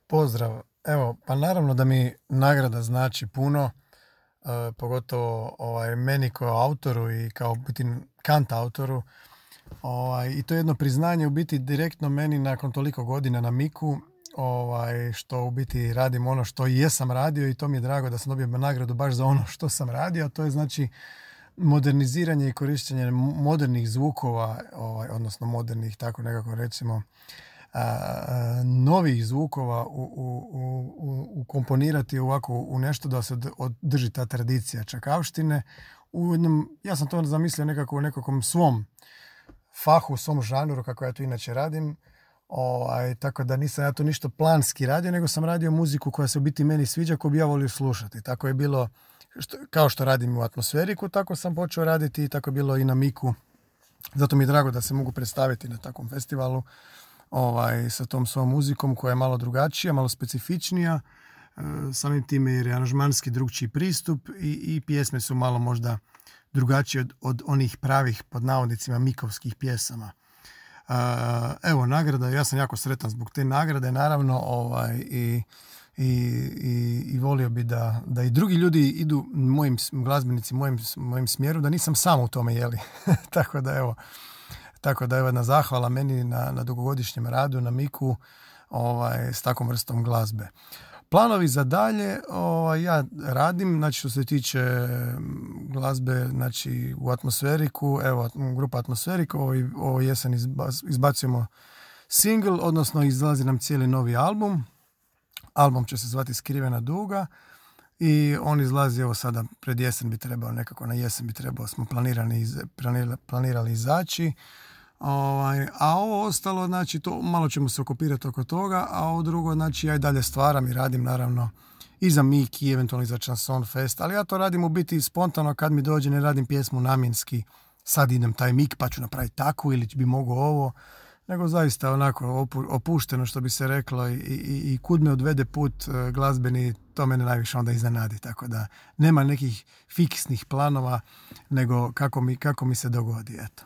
Pozdrav. Evo, pa naravno da mi nagrada znači puno, pogotovo meni kao autoru i kao biti kant autoru. I to je jedno priznanje u biti direktno meni nakon toliko godina na Miku, što u biti radim ono što i jesam radio i to mi je drago da sam dobio nagradu baš za ono što sam radio, a to je znači moderniziranje i korištenje modernih zvukova, odnosno modernih, tako nekako recimo, novih zvukova ukomponirati ovako u nešto da se održi ta tradicija čakavštine. Ja sam to zamislio nekako u nekakvom svom fahu, svom žanru, kako ja to inače radim. Tako da nisam ja to ništa planski radio, nego sam radio muziku koja se u biti meni sviđa, koju bi ja volio slušati. Tako je bilo, kao što radim u Atmosferiku, tako sam počeo raditi i tako je bilo i na Miku. Zato mi je drago da se mogu predstaviti na takvom festivalu sa tom svojom muzikom koja je malo drugačija, malo specifičnija, samim time jer je aranžmanski drugčiji pristup i pjesme su malo možda drugačije od onih pravih, pod navodnicima, mikovskih pjesama. Evo, nagrada, ja sam jako sretan zbog te nagrade, naravno, i volio bi da i drugi ljudi idu mojim glazbenici, mojim smjeru, da nisam sam u tome, jeli. Tako da je jedna zahvala meni na dugogodišnjem radu na Miku s takvom vrstom glazbe. Planovi za dalje, ja radim, znači što se tiče glazbe, znači u Atmosferiku, evo grupa Atmosferik, ovo jesen izbacujemo single, odnosno izlazi nam cijeli novi album. Album će se zvati Skrivena duga i on izlazi evo sada pred jesen bi trebao, nekako na jesen bi trebao, smo planirali izaći. A ovo ostalo, znači, to malo ćemo se okupirati oko toga, a ovo drugo, znači, ja i dalje stvaram i radim, naravno, i za Mik i eventualno i za Chanson Fest, ali ja to radim u biti spontano, kad mi dođe, ne radim pjesmu namjenski, sad idem taj Mik pa ću napraviti takvu ili bi mogao ovo, nego zaista onako opušteno, što bi se reklo, i kud me odvede put glazbeni, to mene najviše onda iznenadi, tako da nema nekih fiksnih planova, nego kako mi se dogodi, eto.